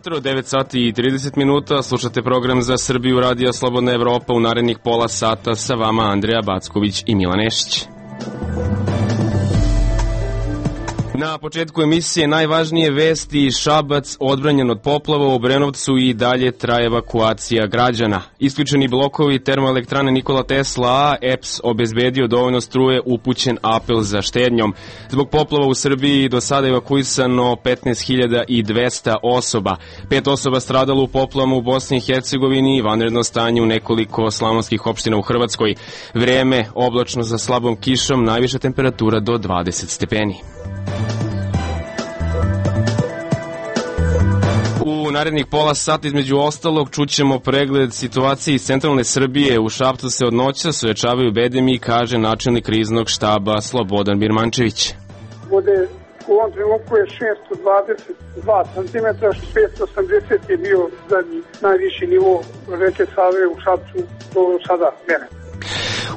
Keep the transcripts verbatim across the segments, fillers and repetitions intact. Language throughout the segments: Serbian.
jutro, devet sati i trideset minuta, slušate program za Srbiju Radija Slobodna Evropa. U narednih pola sata sa vama Andreja Backović i Milan Nešić. Na početku emisije najvažnije vesti. Šabac odbranjen od poplava, u Obrenovcu i dalje traje evakuacija građana. Isključeni blokovi termoelektrane Nikola Tesla A, E P S obezbedio dovoljno struje, upućen apel za štednjom. Zbog poplava u Srbiji do sada evakuisano petnaest hiljada dvesta osoba. Pet osoba stradalo u poplavama u Bosni i Hercegovini i vanredno stanje u nekoliko slavonskih opština u Hrvatskoj. Vreme oblačno sa slabom kišom, najviša temperatura do dvadeset stepeni. U narednih pola sata između ostalog čućemo pregled situacije iz centralne Srbije. U Šapcu se od noća suočavaju bedemi, kaže načelnik kriznog štaba Slobodan Birmančević. Vode u ovom trenutku je šesto dvadeset dva centimetra, petsto osamdeset je bio zadnji najviši nivo reke Save u Šapcu do sada mene.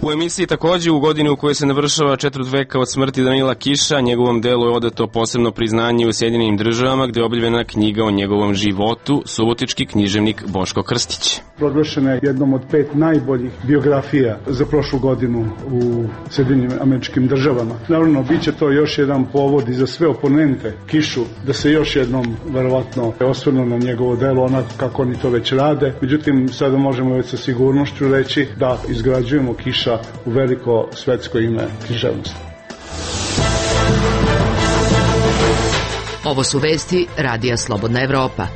U emisiji takođe u godini u kojoj se navršava četvrt veka od smrti Danila Kiša, njegovom delu je odato posebno priznanje u Sjedinjenim državama, gde je objavljena knjiga o njegovom životu, subotički književnik Boško Krstić. Proglašena je jednom od pet najboljih biografija za prošlu godinu u Sjedinjenim američkim državama. Naravno, bit će to još jedan povod i za sve oponente Kišu da se još jednom verovatno osvrnu na njegovo delo onako kako oni to već rade. Međutim, sada možemo već sa sigurnošću reći da izgrađujemo Kiša u veliko svetsko ime književnosti. Ovo su vesti Radija Slobodna Evropa.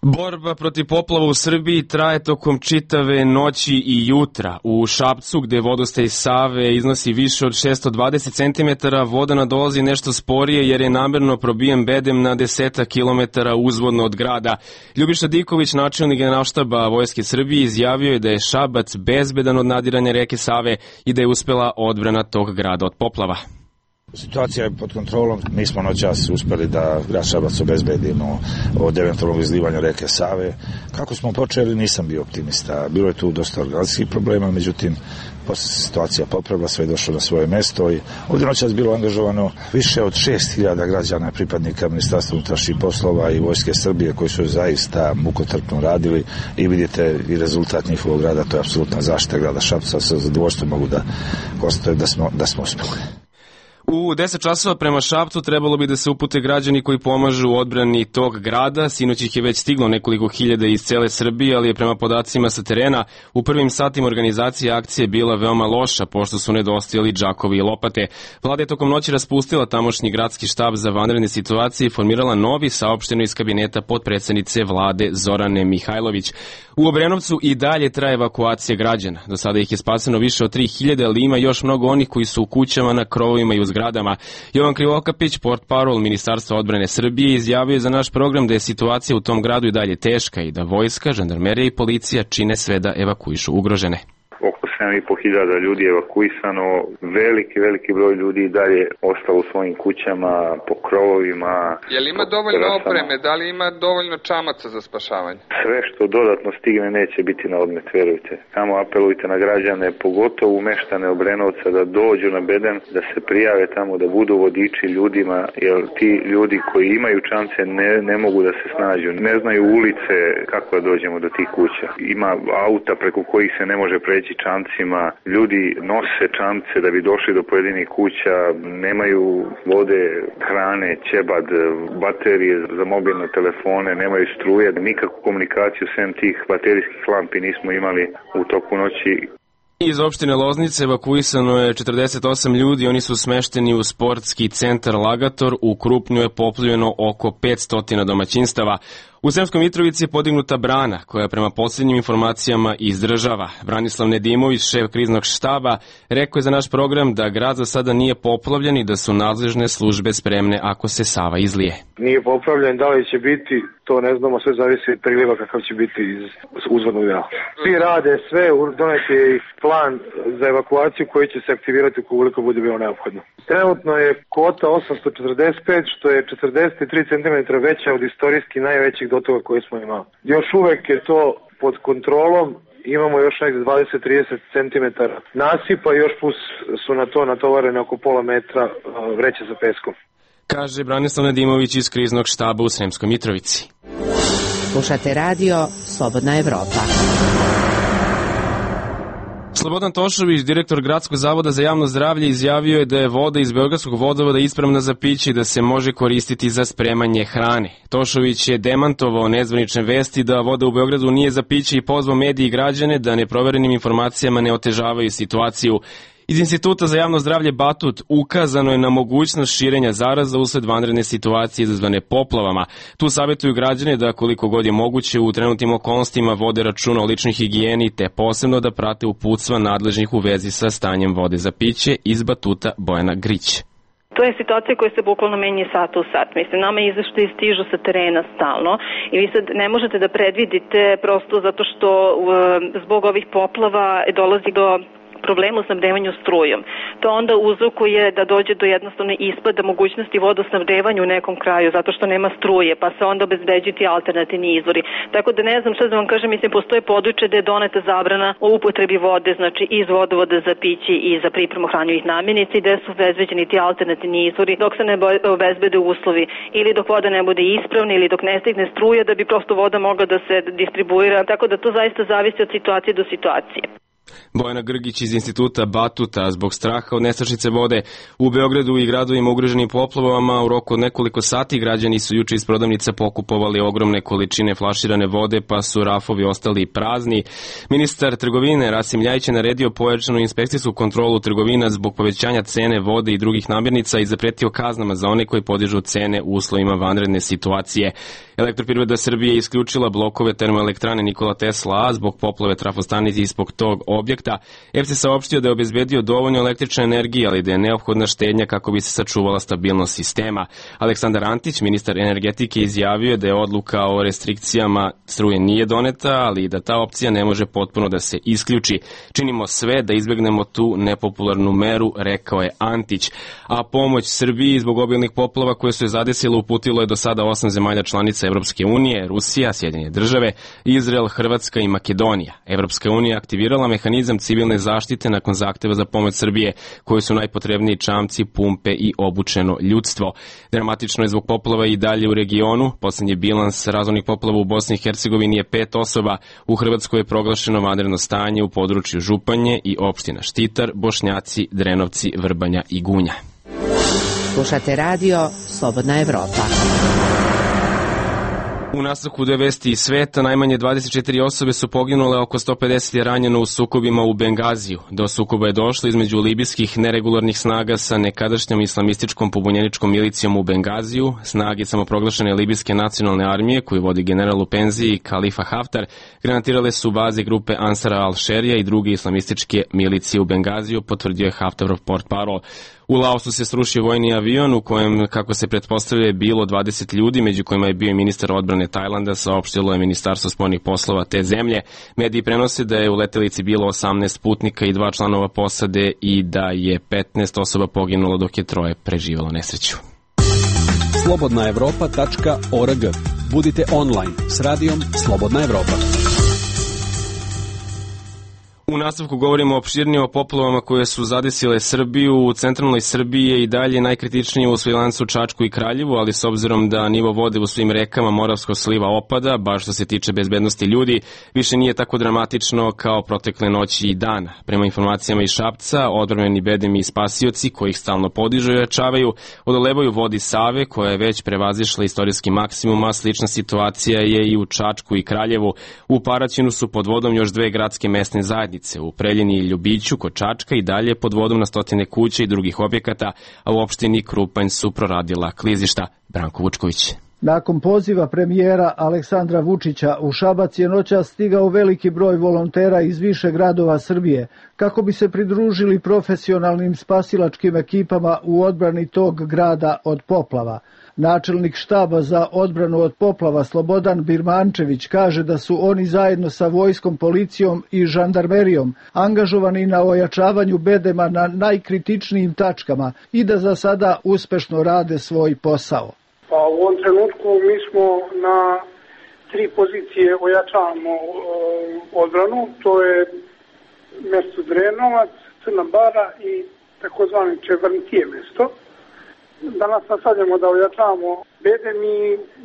Borba protiv poplava u Srbiji traje tokom čitave noći i jutra. U Šapcu, gde vodostaj Save iznosi više od šesto dvadeset centimetara, voda nadolazi nešto sporije jer je namerno probijen bedem na deseta kilometara uzvodno od grada. Ljubiša Diković, načelnik Generalštaba Vojske Srbije, izjavio je da je Šabac bezbedan od nadiranja reke Save i da je uspela odbrana tog grada od poplava. Situacija je pod kontrolom. Mi smo noćas uspeli da grad Šabac obezbedimo od eventualnog izlivanja reke Save. Kako smo počeli, nisam bio optimista. Bilo je tu dosta organizacijskih problema, međutim, posle se situacija popravila, sve je došlo na svoje mesto i ovdje noćas bilo angažovano više od šest hiljada građana, pripadnika Ministarstva unutrašnjih poslova i Vojske Srbije koji su zaista mukotrpno radili i vidite i rezultat njihovog rada, to je apsolutna zaštita grada Šapca. Sa zadovoljstvom mogu da konstatujem da smo, da smo uspeli. U deset časova prema Šapcu trebalo bi da se upute građani koji pomažu u odbrani tog grada. Sinoć ih je već stiglo nekoliko hiljada iz cele Srbije, ali je prema podacima sa terena u prvim satima organizacije akcije bila veoma loša, pošto su nedostajali džakovi i lopate. Vlada je tokom noći raspustila tamošnji gradski štab za vanredne situacije i formirala novi, saopšteno iz kabineta potpredsednice vlade Zorane Mihajlović. U Obrenovcu i dalje traje evakuacija građana. Do sada ih je spaseno više od tri hiljade, ali ima još mnogo onih koji su u kućama, na krovovima i u zgradama. Jovan Krivokapić, portparol Ministarstva odbrane Srbije, izjavio je za naš program da je situacija u tom gradu i dalje teška i da vojska, žandarmerija i policija čine sve da evakuišu ugrožene. Oko sedam i po hiljada ljudi je evakuisano, veliki, veliki broj ljudi i dalje ostalo u svojim kućama, po krovovima. Je li ima dovoljno opreme, da li ima dovoljno čamaca za spašavanje? Sve što dodatno stigne neće biti na odmet, verujte. Samo apelujte na građane, pogotovo u meštane Obrenovca, da dođu na bedem, da se prijave tamo, da budu vodiči ljudima, jer ti ljudi koji imaju čamce ne, ne mogu da se snađu, ne znaju ulice kako da dođemo do tih kuća. Ima auta preko kojih se ne može preći čamcima, ljudi nose čamce da bi došli do pojedinih kuća, nemaju vode, hrane, ćebad, baterije za mobilne telefone, nemaju struje, nikakvu komunikaciju sem tih baterijskih lampi nismo imali u toku noći. Iz opštine Loznice evakuisano je četrdeset osam ljudi, oni su smešteni u sportski centar Lagator, u Krupnju je poplavljeno oko petsto domaćinstava. U Sremskoj Mitrovici je podignuta brana, koja prema posljednjim informacijama izdržava. Branislav Nedimović, šef kriznog štaba, rekao je za naš program da grad za sada nije poplavljen i da su nadležne službe spremne ako se Sava izlije. Nije poplavljen, da li će biti, to ne znamo, sve zavisi od priliva kakav će biti iz uzvodnog dela. Svi rade sve, donet je i plan za evakuaciju koji će se aktivirati ukoliko bude bilo neophodno. Trenutno je kvota osamsto četrdeset pet, što je četrdeset tri centimetra veća od istorijski najvećih dotoka koje smo imali. Još uvek je to pod kontrolom, imamo još nekde dvadeset do trideset centimetara nasipa, još plus su na to natovarene oko pola metra vreće sa peskom. Kaže Branislav Nadimović iz kriznog štaba u Sremskoj Mitrovici. Slušate radio Slobodna Evropa. Slobodan Tošović, direktor Gradskog zavoda za javno zdravlje, izjavio je da je voda iz Beogradskog vodovoda ispravna za piće i da se može koristiti za spremanje hrane. Tošović je demantovao nezvanične vesti da voda u Beogradu nije za piće i pozvao medije i građane da neproverenim informacijama ne otežavaju situaciju. Iz Instituta za javno zdravlje Batut ukazano je na mogućnost širenja zaraza usled vanredne situacije izazvane poplavama. Tu savjetuju građane da koliko god je moguće u trenutnim okolnostima vode računa o ličnoj higijeni te posebno da prate uputstva nadležnih u vezi sa stanjem vode za piće. Iz Batuta Bojana Grić. To je situacija koja se bukvalno menja sat u sat. Mislim, nama izveštaji stižu sa terena stalno i vi sad ne možete da predvidite prosto zato što zbog ovih poplava dolazi do problemu u snabdevanju strujom. To onda uzrokuje da dođe do jednostavne ispada mogućnosti vodosnabdevanja u nekom kraju zato što nema struje, pa se onda obezbeđuju ti alternativni izvori. Tako da ne znam šta da vam kažem, mislim, postoje područje da je doneta zabrana o upotrebi vode, znači iz vodovoda za piće i za pripremu hranjivih namirnica i gde su obezbeđeni ti alternativni izvori dok se ne obezbede uslovi ili dok voda ne bude ispravna ili dok ne stigne struje da bi prosto voda mogla da se distribuira. Tako da to zaista zavisi od situacije do situacije. Bojana Grgić iz Instituta Batuta. Zbog straha od nestašice vode u Beogradu i gradovima ugroženim poplavama u roku od nekoliko sati građani su juče iz prodavnica pokupovali ogromne količine flaširane vode, pa su rafovi ostali prazni. Ministar trgovine Rasim Ljajić je naredio pojačanu inspekcijsku kontrolu trgovina zbog povećanja cene vode i drugih namirnica i zapretio kaznama za one koji podižu cene u uslovima vanredne situacije. Elektroprivreda Srbije je isključila blokove termoelektrane Nikola Tesla A zbog poplave trafostanice ispod tog objekta. E P S je saopštio da je obezbedio dovoljno električne energije, ali da je neophodna štednja kako bi se sačuvala stabilnost sistema. Aleksandar Antić, ministar energetike, izjavio da je odluka o restrikcijama struje nije doneta, ali da ta opcija ne može potpuno da se isključi. Činimo sve da izbegnemo tu nepopularnu meru, rekao je Antić. A pomoć Srbiji zbog obilnih poplava koje su je zadesile uputilo je do sada osam zemalja članica Evropske unije, Rusija, Sjedinjene države, Izrael, Hrvatska i Makedonija. Evropska unija aktivirala mehanizam civilne zaštite nakon zahteva za pomoć Srbije, koji su najpotrebniji čamci, pumpe i obučeno ljudstvo. Dramatično je zbog poplava i dalje u regionu. Poslednji bilans razornih poplava u Bosni i Hercegovini je pet osoba. U Hrvatskoj je proglašeno vanredno stanje u području Županje i opština Štitar, Bošnjaci, Drenovci, Vrbanja i Gunja. Slušate radio Slobodna Evropa. U nastavku dve vesti iz sveta, najmanje dvadeset četiri osobe su poginule, oko sto pedeset je ranjeno u sukobima u Bengaziju. Do sukoba je došlo između libijskih neregularnih snaga sa nekadašnjom islamističkom pobunjeničkom milicijom u Bengaziju. Snage samoproglašene libijske nacionalne armije, koju vodi general u penziji Khalifa Haftar, granatirale su baze grupe Ansara al-Šerija i druge islamističke milicije u Bengaziju, potvrdio je Haftarov portparol. U Laosu se srušio vojni avion u kojem, kako se pretpostavlja, je bilo dvadeset ljudi, među kojima je bio i ministar odbrane Tajlanda, saopštilo je Ministarstvo spoljnih poslova te zemlje. Mediji prenose da je u letelici bilo osamnaest putnika i dva članova posade i da je petnaest osoba poginulo dok je troje preživelo nesreću. slobodna evropa tačka org. Budite online s radijom Slobodna Evropa. U nastavku govorimo opširnije o poplavama koje su zadesile Srbiju. U centralnoj Srbiji je i dalje najkritičnije u Svilajncu, Čačku i Kraljevu, ali s obzirom da nivo vode u svim rekama Moravskog sliva opada, baš što se tiče bezbednosti ljudi, više nije tako dramatično kao protekle noći i dana. Prema informacijama iz Šapca, odbrambeni bedemi i spasioci, koji ih stalno podižu i ojačavaju, odolevaju vodi Save, koja je već prevazišla istorijski maksimum, a slična situacija je i u Čačku i Kraljevu. U Paraćinu su pod vodom još dve gradske mesne zajednice. U Preljini i Ljubiću kod Čačka i dalje pod vodom na stotine kuća i drugih objekata, a u opštini Krupanj su proradila klizišta. Branko Vučković. Nakon poziva premijera Aleksandra Vučića u Šabac je noćas stigao veliki broj volontera iz više gradova Srbije kako bi se pridružili profesionalnim spasilačkim ekipama u odbrani tog grada od poplava. Načelnik štaba za odbranu od poplava Slobodan Birmančević kaže da su oni zajedno sa vojskom, policijom i žandarmerijom angažovani na ojačavanju bedema na najkritičnijim tačkama i da za sada uspešno rade svoj posao. Pa u ovom trenutku mi smo na tri pozicije ojačavamo e, odbranu, to je mesto Drenovac, Crna Bara i takozvani Čevrntije mesto. danas nastavljamo da ojačavamo bedem i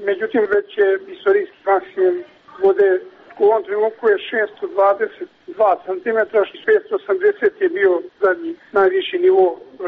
međutim već je istorijski maksimum vode u ovom trenutku je šessto dvadeset dva centimetra, šessto osamdeset je bio zadnji najviši nivo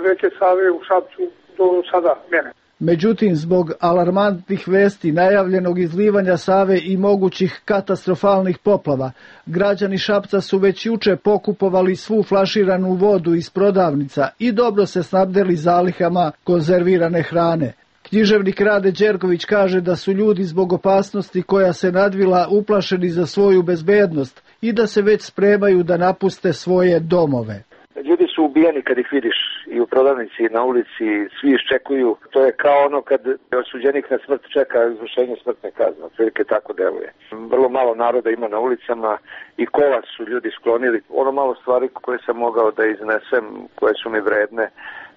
reke Save u Šapcu do sada mene. Međutim, zbog alarmantnih vesti najavljenog izlivanja Save i mogućih katastrofalnih poplava, građani Šapca su već juče pokupovali svu flaširanu vodu iz prodavnica i dobro se snabdeli zalihama konzervirane hrane. Književnik Rade Đerković kaže da su ljudi zbog opasnosti koja se nadvila uplašeni za svoju bezbednost i da se već spremaju da napuste svoje domove. Ljudi su ubijeni kad ih vidiš i u prodavnici i na ulici, svi iščekuju. To je kao ono kad osuđenik na smrt čeka izvršenje smrtne kazne, otprilike tako deluje. Vrlo malo naroda ima na ulicama i kola su ljudi sklonili. Ono malo stvari koje sam mogao da iznesem, koje su mi vredne,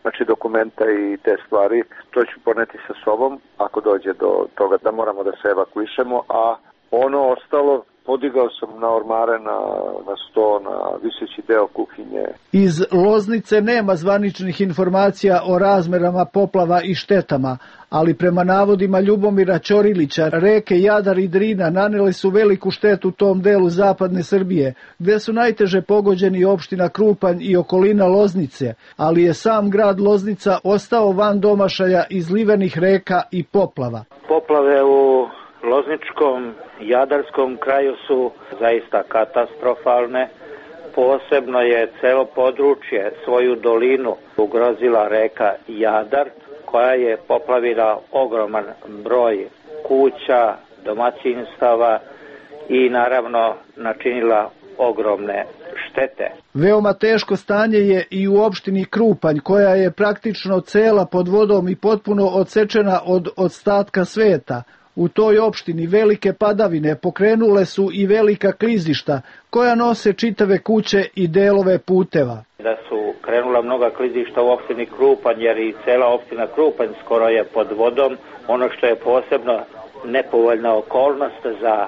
znači dokumenta i te stvari, to ću poneti sa sobom ako dođe do toga da moramo da se evakuišemo, a ono ostalo podigao sam na ormare, na, na sto, na viseći deo kuhinje. Iz Loznice nema zvaničnih informacija o razmerama poplava i štetama, ali prema navodima Ljubomira Ćorilića, reke Jadar i Drina nanele su veliku štetu tom delu zapadne Srbije, gde su najteže pogođeni opština Krupanj i okolina Loznice, ali je sam grad Loznica ostao van domašaja izlivenih reka i poplava. Poplave u Lozničkom, Jadarskom kraju su zaista katastrofalne. Posebno je celo područje, svoju dolinu ugrozila reka Jadar, koja je poplavila ogroman broj kuća, domaćinstava i naravno načinila ogromne štete. Veoma teško stanje je i u opštini Krupanj, koja je praktično cela pod vodom i potpuno odsečena od ostatka sveta. U toj opštini velike padavine pokrenule su i velika klizišta koja nose čitave kuće i delove puteva. Da su krenula mnoga klizišta u opštini Krupanj, jer i cela opština Krupanj skoro je pod vodom. Ono što je posebno nepovoljna okolnost za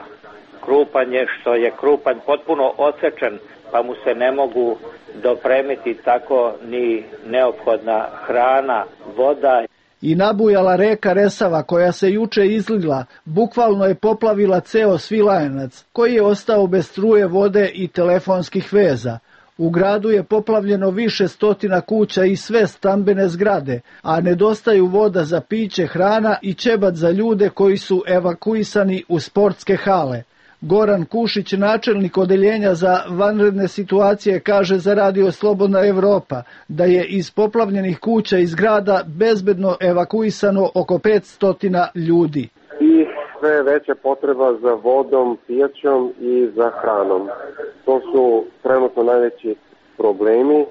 Krupanj je što je Krupanj potpuno odsečen, pa mu se ne mogu dopremiti tako ni neophodna hrana, voda. I nabujala reka Resava, koja se juče izlila, bukvalno je poplavila ceo Svilajanac, koji je ostao bez struje, vode i telefonskih veza. U gradu je poplavljeno više stotina kuća i sve stambene zgrade, a nedostaju voda za piće, hrana i ćebat za ljude koji su evakuisani u sportske hale. Goran Kušić, načelnik odeljenja za vanredne situacije, kaže za Radio Slobodna Evropa da je iz poplavljenih kuća i zgrada bezbedno evakuisano oko petsto ljudi. I sve veća potreba za vodom, pijaćom i za hranom. To su trenutno najveći problemi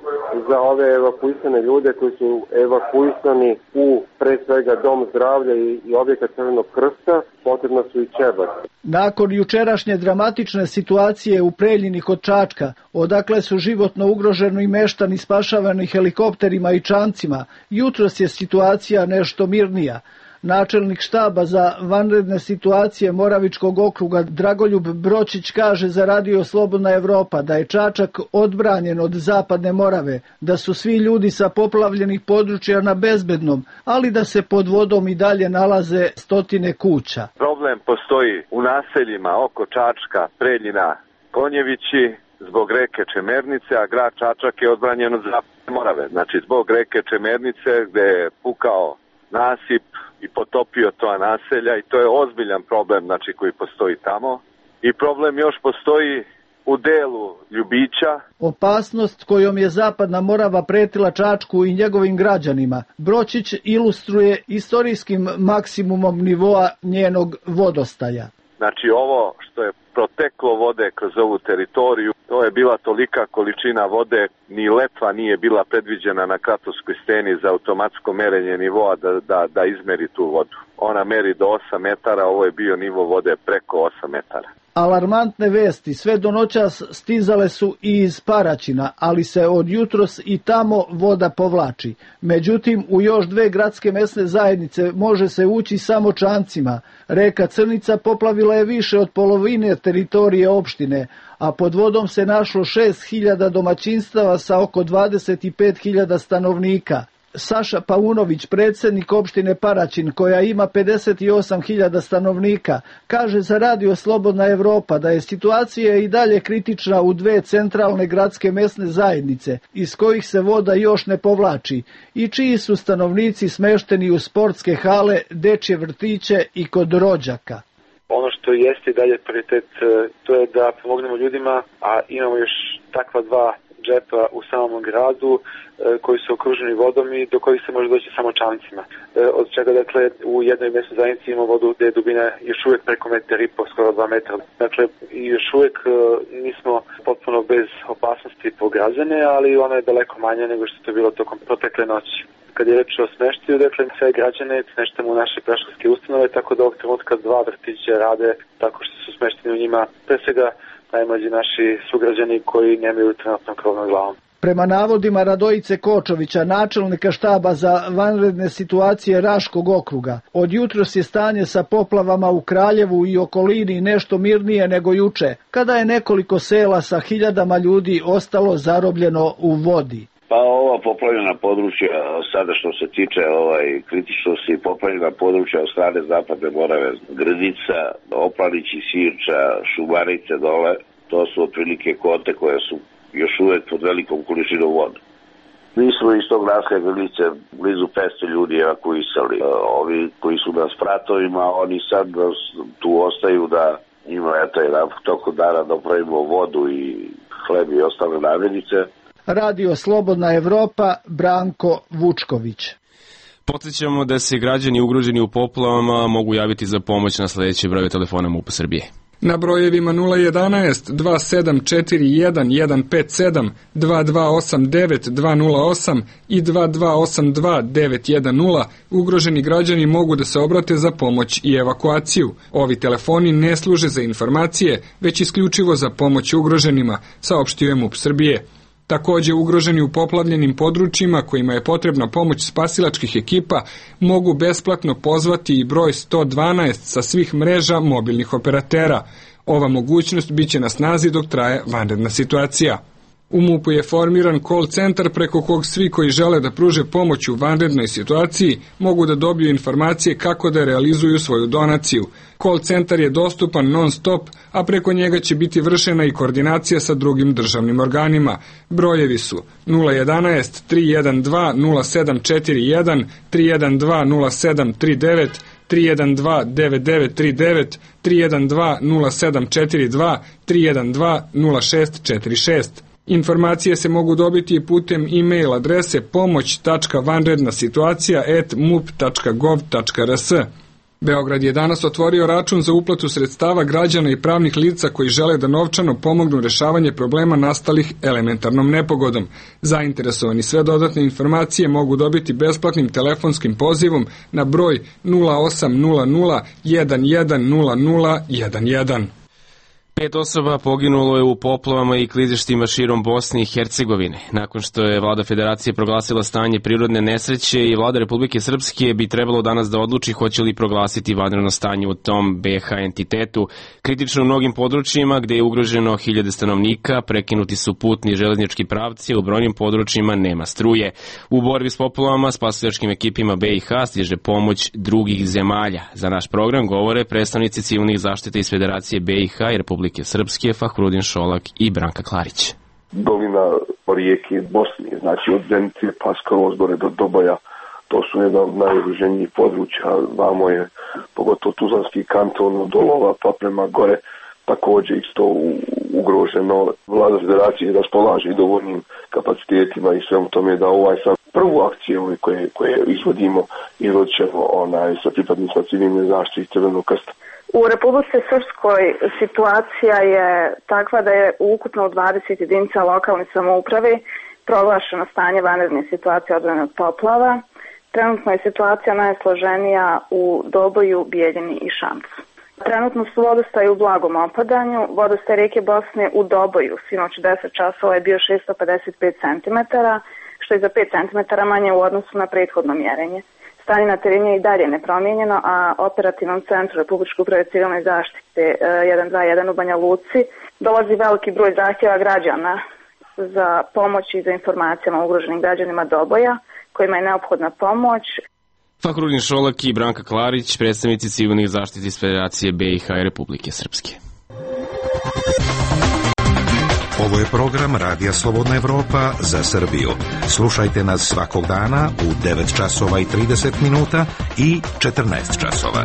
za ove evakuisane ljude koji su evakuisani u pre svega dom zdravlja i, i objekat Crvenog krsta, potrebno su i ćebat. Nakon jučerašnje dramatične situacije u Preljini kod Čačka, odakle su životno ugroženi meštani spašavani helikopterima i čamcima, jutros je situacija nešto mirnija. Načelnik štaba za vanredne situacije Moravičkog okruga Dragoljub Bročić kaže za Radio Slobodna Evropa da je Čačak odbranjen od zapadne Morave, da su svi ljudi sa poplavljenih područja na bezbednom, ali da se pod vodom i dalje nalaze stotine kuća. Problem postoji u naseljima oko Čačka, Preljina, Konjevići, zbog reke Čemernice, a grad Čačak je odbranjen od zapadne Morave. Znači zbog reke Čemernice gde je pukao nasip i potopio to naselja i to je ozbiljan problem, znači, koji postoji tamo. I problem još postoji u delu Ljubića. Opasnost kojom je zapadna Morava pretila Čačku i njegovim građanima, Bročić ilustruje istorijskim maksimumom nivoa njenog vodostaja. Znači ovo što je proteklo vode kroz ovu teritoriju, to je bila tolika količina vode, ni letva nije bila predviđena na Kratovskoj steni za automatsko merenje nivoa da, da, da izmeri tu vodu. Ona meri do osam metara, ovo je bio nivo vode preko osam metara. Alarmantne vesti sve do noćas stizale su i iz Paraćina, ali se od jutros i tamo voda povlači. Međutim, u još dve gradske mesne zajednice može se ući samo čamcima. Reka Crnica poplavila je više od polovine teritorije opštine, a pod vodom se našlo šest hiljada domaćinstava sa oko dvadeset pet hiljada stanovnika. Saša Paunović, predsjednik opštine Paraćin, koja ima pedeset osam hiljada stanovnika, kaže za Radio Slobodna Evropa da je situacija i dalje kritična u dve centralne gradske mesne zajednice, iz kojih se voda još ne povlači, i čiji su stanovnici smešteni u sportske hale, dečje vrtiće i kod rođaka. Ono što jeste i dalje prioritet, to je da pomognemo ljudima, a imamo još takva dva džepa u samom gradu koji su okruženi vodom i do kojih se može doći samo čamcima. Od čega, dakle, u jednoj mesnoj zajednici imamo vodu gde je dubina još uvijek preko metar i po, skoro dva metra. Dakle, još uvijek nismo potpuno bez opasnosti po građane, ali ona je daleko manja nego što je to bilo tokom protekle noći. Kad je reč o smeštaju, dakle, sve građane smeštamo u naše predškolske ustanove, tako da ovog trenutka dva vrtića rade tako što su smešteni u njima, pre svega najmlađi naši sugrađani koji nemaju trenutno krov nad glavom. Prema navodima Radojice Kočovića, načelnika štaba za vanredne situacije Raškog okruga, od jutros je stanje sa poplavama u Kraljevu i okolini nešto mirnije nego juče, kada je nekoliko sela sa hiljadama ljudi ostalo zarobljeno u vodi. Pa ova poplavljena područja, sada što se tiče ovaj kritičnosti poplavljena područja od strane Zapadne Morave, Grdica, Oplanići, Sirča, Šumarice dole, to su otprilike kote koje su još uvek pod velikom količinom vode. Mi smo iz tog naselja Grdice blizu petsto ljudi evakuisali. Ovi koji su na spratovima, oni sad tu ostaju da ima eto jedan tokom dana da opravimo vodu i hleb i ostale namirnice. Radio Slobodna Evropa, Branko Vučković. Podsjećamo da se građani ugroženi u poplavama mogu javiti za pomoć na sledeće brojeve telefona MUP-a Srbije. Na brojevima nula jedanaest dva sedam četiri jedan jedan pet sedam, dva dva osam devet dva nula osam i dva dva osam dva devet jedan nula ugroženi građani mogu da se obrate za pomoć i evakuaciju. Ovi telefoni ne služe za informacije, već isključivo za pomoć ugroženima, saopštio je MUP Srbije. Takođe, ugroženi u poplavljenim područjima kojima je potrebna pomoć spasilačkih ekipa mogu besplatno pozvati i broj sto dvanaest sa svih mreža mobilnih operatera. Ova mogućnost biće na snazi dok traje vanredna situacija. U MUP-u je formiran call centar preko kog svi koji žele da pruže pomoć u vanrednoj situaciji mogu da dobiju informacije kako da realizuju svoju donaciju. Call centar je dostupan non stop, a preko njega će biti vršena i koordinacija sa drugim državnim organima. Brojevi su nula jedanaest tri jedan dva nula sedam četiri jedan, tri jedan dva nula sedam tri devet, tri jedan dva devet devet tri devet, tri jedan dva nula sedam četiri dva, tri jedan dva nula šest četiri šest. Informacije se mogu dobiti i putem e-mail adrese pomoć tačka vanredna situacija at mup tačka gov tačka rs. Beograd je danas otvorio račun za uplatu sredstava građana i pravnih lica koji žele da novčano pomognu rešavanje problema nastalih elementarnom nepogodom. Zainteresovani sve dodatne informacije mogu dobiti besplatnim telefonskim pozivom na broj nula osam nula nula jedan jedan nula nula jedan jedan. Pet osoba poginulo je u poplavama i klizištima širom Bosne i Hercegovine. Nakon što je vlada Federacije proglasila stanje prirodne nesreće i vlada Republike Srpske bi trebalo danas da odluči hoće li proglasiti vanredno stanje u tom be ha entitetu. Kritično u mnogim područjima gde je ugroženo hiljade stanovnika, prekinuti su putni železnički pravci, u brojnim područjima nema struje. U borbi s poplavama spasilačkim ekipima be i ha stiže pomoć drugih zemalja. Za naš program govore predstavnici civilnih zaštita iz Federacije be i ha i Republike Srpske, Fahrudin Šolak i Branka Klarić. Dolina rijeke Bosne, znači od Zenice pa skroz gore do Doboja, to su jedan od najugroženijih područja. Vamo je pogotovo Tuzlanski kanton od Dolova pa prema gore također isto ugroženo. Vlada Federacije raspolaže i dovoljnim kapacitetima i svemu tome da ovaj sad prvu akciju koje, koje izvodimo izvodit ćemo onaj, sa pripadnicima civilne zaštite i Crvenog krsta. U Republici Srpskoj situacija je takva da je ukupno u dvadeset jedinica lokalne samouprave proglašeno stanje vanredne situacije odbrane od poplava. Trenutno je situacija najsloženija u Doboju, Bijeljini i Šamcu. Trenutno su vodostaji u blagom opadanju. Vodostaj rijeke Bosne u Doboju sinoć u deset časova je bio šessto pedeset pet centimetara, što je za pet centimetara manje u odnosu na prethodno mjerenje. Stanje na terenu je i dalje nepromijenjeno, a operativnom centru Republičke uprave civilne zaštite jedan dva jedan u Banja Luci dolazi veliki broj zahtjeva građana za pomoć i za informacijama o ugroženim građanima Doboja. kojima je neophodna pomoć. Fahrudin Šolak i Branka Klarić, predstavnici civilnih zaštiti iz Federacije B i H i Republike Srpske. Ovo je program Radija Slobodna Evropa za Srbiju. Slušajte nas svakog dana u devet časova i trideset minuta i četrnaest časova.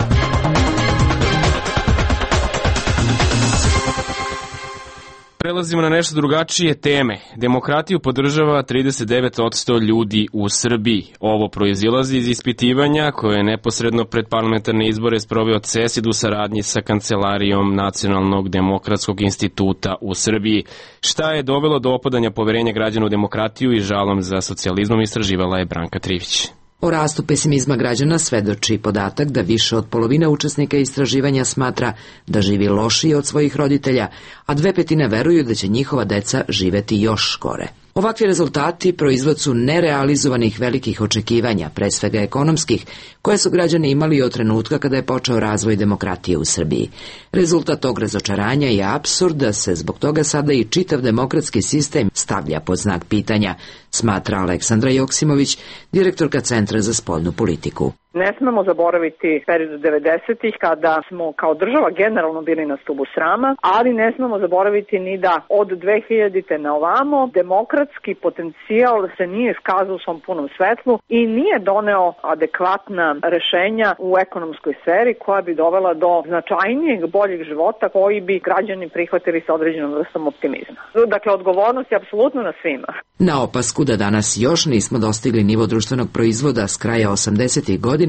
Prelazimo na nešto drugačije teme. Demokratiju podržava trideset devet posto ljudi u Srbiji. Ovo proizilazi iz ispitivanja koje je neposredno pred parlamentarne izbore sproveo C E S I D u saradnji sa Kancelarijom Nacionalnog demokratskog instituta u Srbiji. Šta je dovelo do opadanja poverenja građana u demokratiju i žalom za socijalizmom, istraživala je Branka Trivić. O rastu pesimizma građana svedoči podatak da više od polovine učesnika istraživanja smatra da živi lošije od svojih roditelja, a dve petine veruju da će njihova deca živeti još gore. Ovakvi rezultati proizvod su nerealizovanih velikih očekivanja, pre svega ekonomskih, koje su građani imali od trenutka kada je počeo razvoj demokratije u Srbiji. Rezultat tog razočaranja je apsurd da se zbog toga sada i čitav demokratski sistem stavlja pod znak pitanja, smatra Aleksandra Joksimović, direktorka Centra za spoljnu politiku. Ne smemo zaboraviti period devedesetih kada smo kao država generalno bili na stubu srama, ali ne smemo zaboraviti ni da od dve hiljadite na ovamo demokratski potencijal se nije iskazao u svom punom svetlu i nije doneo adekvatna rešenja u ekonomskoj sferi koja bi dovela do značajnijeg, boljeg života koji bi građani prihvatili sa određenom vrstom optimizma. Dakle, odgovornost je apsolutno na svima. Na opasku da danas još nismo dostigli nivo društvenog proizvoda s kraja osamdesetih godina,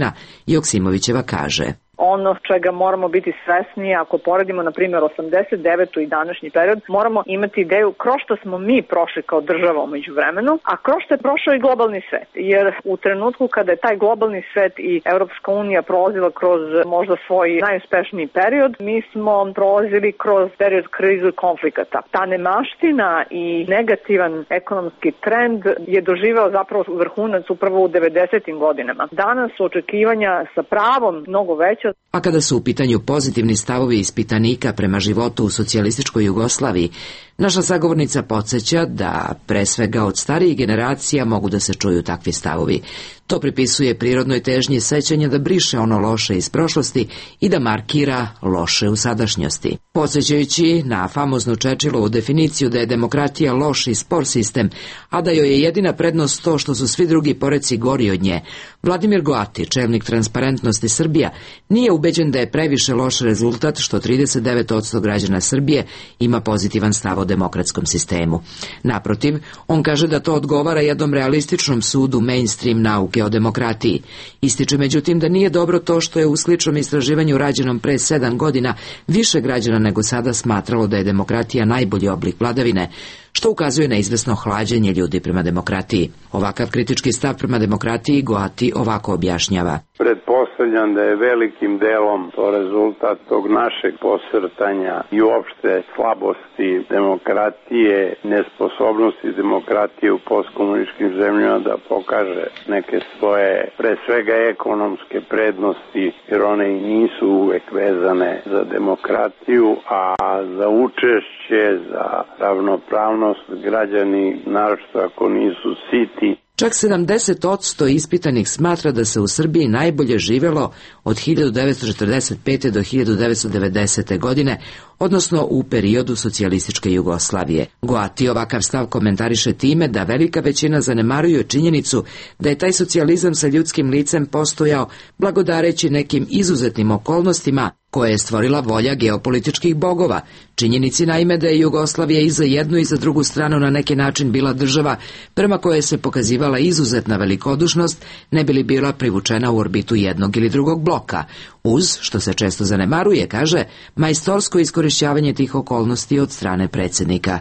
Joksimovićeva kaže: Ono čega moramo biti svesni, ako poredimo na primjer osamdeset devetu i današnji period, moramo imati ideju kroz što smo mi prošli kao država umeđu vremenu, a kroz što je prošao i globalni svet. Jer u trenutku kada je taj globalni svet i Europska unija prolazila kroz možda svoj najuspešniji period, mi smo prolazili kroz period krizu i konflikata. Ta nemaština i negativan ekonomski trend je doživeo zapravo vrhunac upravo u devedesetim godinama. Danas su očekivanja sa pravom mnogo veća. A kada su u pitanju pozitivni stavovi ispitanika prema životu u socijalističkoj Jugoslaviji, naša sagovornica podsjeća da pre svega od starijih generacija mogu da se čuju takvi stavovi. To pripisuje prirodnoj težnji sećanja da briše ono loše iz prošlosti i da markira loše u sadašnjosti. Podsjećajući na famoznu Čečilovu definiciju da je demokratija loš i spor sistem, a da joj je jedina prednost to što su svi drugi poreci gori od nje, Vladimir Goati, čelnik Transparentnosti Srbija, nije ubeđen da je previše loš rezultat što trideset devet posto građana Srbije ima pozitivan stav o demokratskom sistemu. Naprotiv, on kaže da to odgovara jednom realističnom sudu mainstream nauke o demokratiji. Ističe međutim da nije dobro to što je u sličnom istraživanju rađenom pre sedam godina više građana nego sada smatralo da je demokratija najbolji oblik vladavine, što ukazuje na izvesno hlađenje ljudi prema demokratiji. Ovakav kritički stav prema demokratiji Goati ovako objašnjava. Pretpostavljam da je velikim delom to rezultat tog našeg posrtanja i uopšte slabosti demokratije, nesposobnosti demokratije u postkomunističkim zemljama da pokaže neke svoje, pre svega ekonomske prednosti, jer one i nisu uvek vezane za demokratiju, a za učešće, za ravnopravnost građani, naročito ako nisu siti. Čak sedamdeset posto ispitanih smatra da se u Srbiji najbolje živelo od hiljadu devetsto četrdeset pete do hiljadu devetsto devedesete godine, odnosno u periodu socijalističke Jugoslavije. Goati ovakav stav komentariše time da velika većina zanemaruje činjenicu da je taj socijalizam sa ljudskim licem postojao blagodareći nekim izuzetnim okolnostima koje je stvorila volja geopolitičkih bogova. Činjenici naime da je Jugoslavija i za jednu i za drugu stranu na neki način bila država prema koje se pokazivala izuzetna velikodušnost, ne bi li bila privučena u orbitu jednog ili drugog bloka, uz, što se često zanemaruje, kaže, majstorsko iskorišćavanje tih okolnosti od strane predsjednika.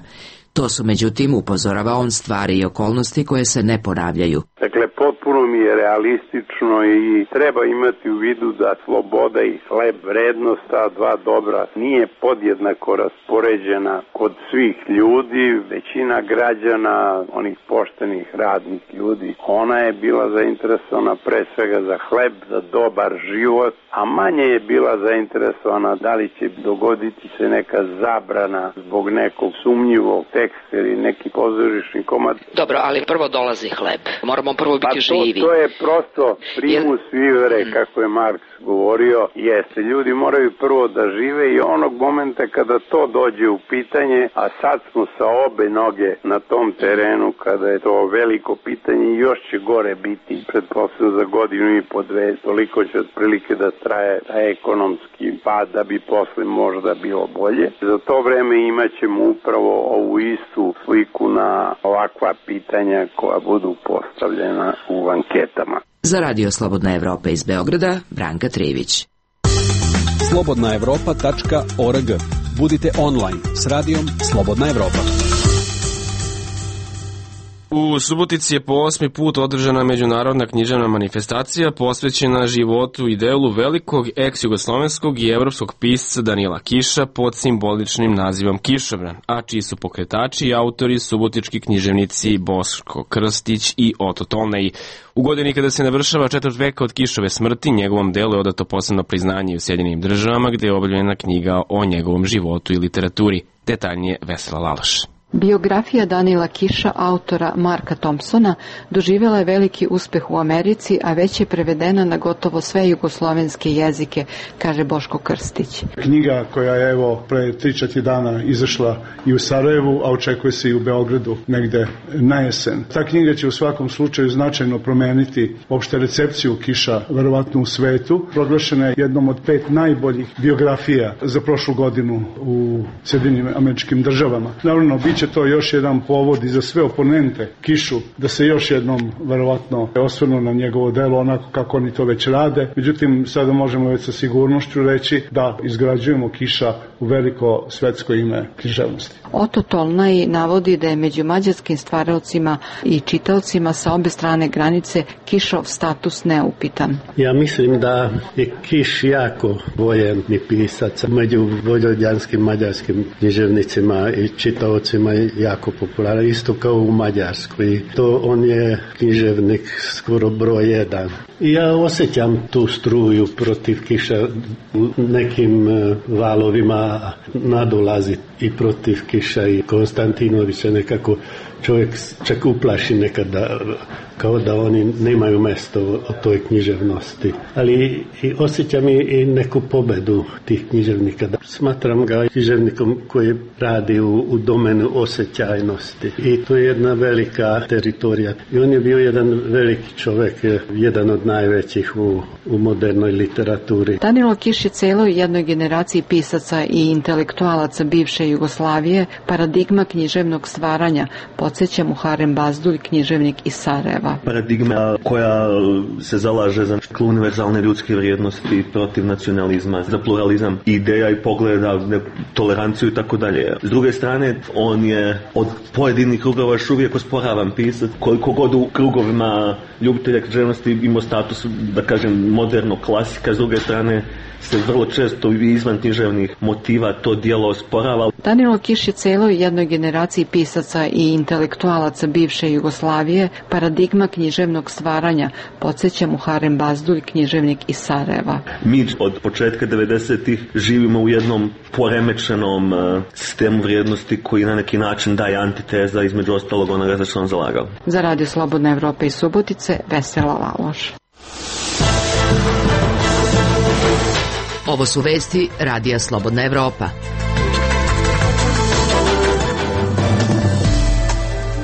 To su, međutim, upozorava on, stvari i okolnosti koje se ne ponavljaju. Dakle, potpuno mi je realistično i treba imati u vidu da sloboda i hleb, vrednost, ta dva dobra, nije podjednako raspoređena kod svih ljudi. Većina građana, onih poštenih radnih ljudi, ona je bila zainteresovana pre svega za hleb, za dobar život, a manje je bila zainteresovana da li će dogoditi se neka zabrana zbog nekog sumnjivog teksta ili neki pozorišni komad. Dobro, ali prvo dolazi hleb. Moramo prvo biti pa to, živi. To je prosto primus vivere, mm. kako je Marks govorio, jeste. Ljudi moraju prvo da žive i onog momenta kada to dođe u pitanje, a sad smo sa obe noge na tom terenu, kada je to veliko pitanje i još će gore biti, pretpostavljam za godinu i po dve, toliko će otprilike da traje taj ekonomski pad da bi posle možda bilo bolje. Za to vreme imat ćemo upravo ovu istu sliku na ovakva pitanja koja budu postavljena u anketama. Za Radio Slobodna Evropa iz Beograda, Branka Trivić. slobodna evropa tačka org. Budite online s radijom Slobodna Evropa. U Subotici je po osmi put održana međunarodna književna manifestacija posvećena životu i delu velikog ex-jugoslovenskog i evropskog pisca Danila Kiša pod simboličnim nazivom Kišobran, a čiji su pokretači i autori subotički književnici Boško Krstić i Oto Tolnej. U godini kada se navršava četvrt veka od Kišove smrti, njegovom delu je odato posebno priznanje u Sjedinjenim državama, gde je objavljena knjiga o njegovom životu i literaturi. Detaljnije Vesela Laloš. Biografija Danila Kiša, autora Marka Thompsona, doživjela je veliki uspeh u Americi, a već je prevedena na gotovo sve jugoslovenske jezike, kaže Boško Krstić. Knjiga koja je evo pre tri četiri dana izašla i u Sarajevu, a očekuje se i u Beogradu negde na jesen. Ta knjiga će u svakom slučaju značajno promeniti opšte recepciju Kiša, verovatno u svetu. Proglašena je jednom od pet najboljih biografija za prošlu godinu u Sjedinjenim Američkim Državama. Naravno, biće to još jedan povod i za sve oponente Kišu da se još jednom verovatno osvrnu na njegovo delo onako kako oni to već rade. Međutim, sada možemo već sa sigurnošću reći da izgrađujemo Kiša u veliko svetsko ime književnosti. Oto Tolnej navodi da je među mađarskim stvaraocima i čitaocima sa obe strane granice Kišov status neupitan. Ja mislim da je Kiš jako voljeni pisac. Među vojvođanskim mađarskim književnicima i čitaocima je jako popularan, isto kao u Mađarskoj. To on je književnik skoro broj jedan. I ja osjećam tu struju protiv Kiša u nekim valovima nadolazi i protiv Kiša i Konstantinovića, nekako čovjek čak uplaši nekada kao da oni nemaju mesto o toj književnosti. Ali i osjećam i neku pobedu tih književnika. Smatram ga književnikom koji radi u, u domenu osjećajnosti. I to je jedna velika teritorija. I on je bio jedan veliki čovjek, jedan od najvećih u, u modernoj literaturi. Danilo Kiš je celoj jednoj generaciji pisaca i intelektualaca bivše Jugoslavije paradigma književnog stvaranja. Podsjeća Muharrem Bazdulj, književnik iz Sarajeva. Paradigma koja se zalaže za univerzalne ljudske vrijednosti, protiv nacionalizma, za pluralizam ideja i pogleda, toleranciju i tako dalje. S druge strane, on je od pojedinih krugova još uvijek osporavan pisac, koliko god u krugovima ljubitelja književnosti imao status, da kažem, modernog klasika, s druge strane se vrlo često i izvan književnih motiva to dijelo osporava. Danilo Kiš je celoj jednoj generaciji pisaca i intelektualaca bivše Jugoslavije paradigma književnog stvaranja, podsjeća Muharrem Bazdulj, književnik iz Sarajeva. Mi od početka devedesetih živimo u jednom poremećenom uh, sistemu vrijednosti koji na neki način daje antiteza između ostalog onoga za što on zalagao. Za Radio Slobodna Evropa iz Subotice, Vesela Laloš. Ovo su vesti Radija Slobodna Evropa.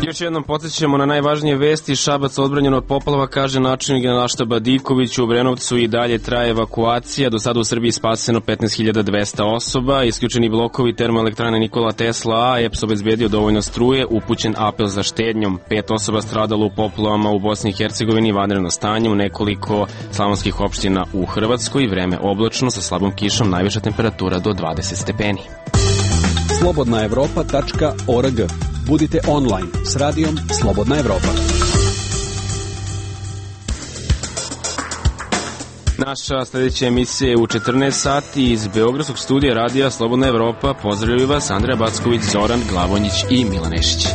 Još jednom podsjećamo na najvažnije vesti. Šabac odbranjen od poplava, kaže načelnik Generalštaba Diković. U Obrenovcu i dalje traje evakuacija. Do sada u Srbiji spaseno petnaest hiljada dvesta osoba. Isključeni blokovi termoelektrane Nikola Tesla A, E P S obezbedio dovoljno struje, upućen apel za štednjom. Pet osoba stradalo u poplavama u Bosni i Hercegovini, vanredno stanje u nekoliko slavonskih opština u Hrvatskoj. Vreme oblačno sa slabom kišom, najviša temperatura do dvadeset stepeni. slobodna evropa tačka org. Budite online s radijom Slobodna Evropa. Naša sljedeća emisija je u četrnaest sati iz Beogradskog studija Radija Slobodna Evropa. Pozdravljaju vas Andreja Backović, Zoran Glavonjić i Milan Ešić.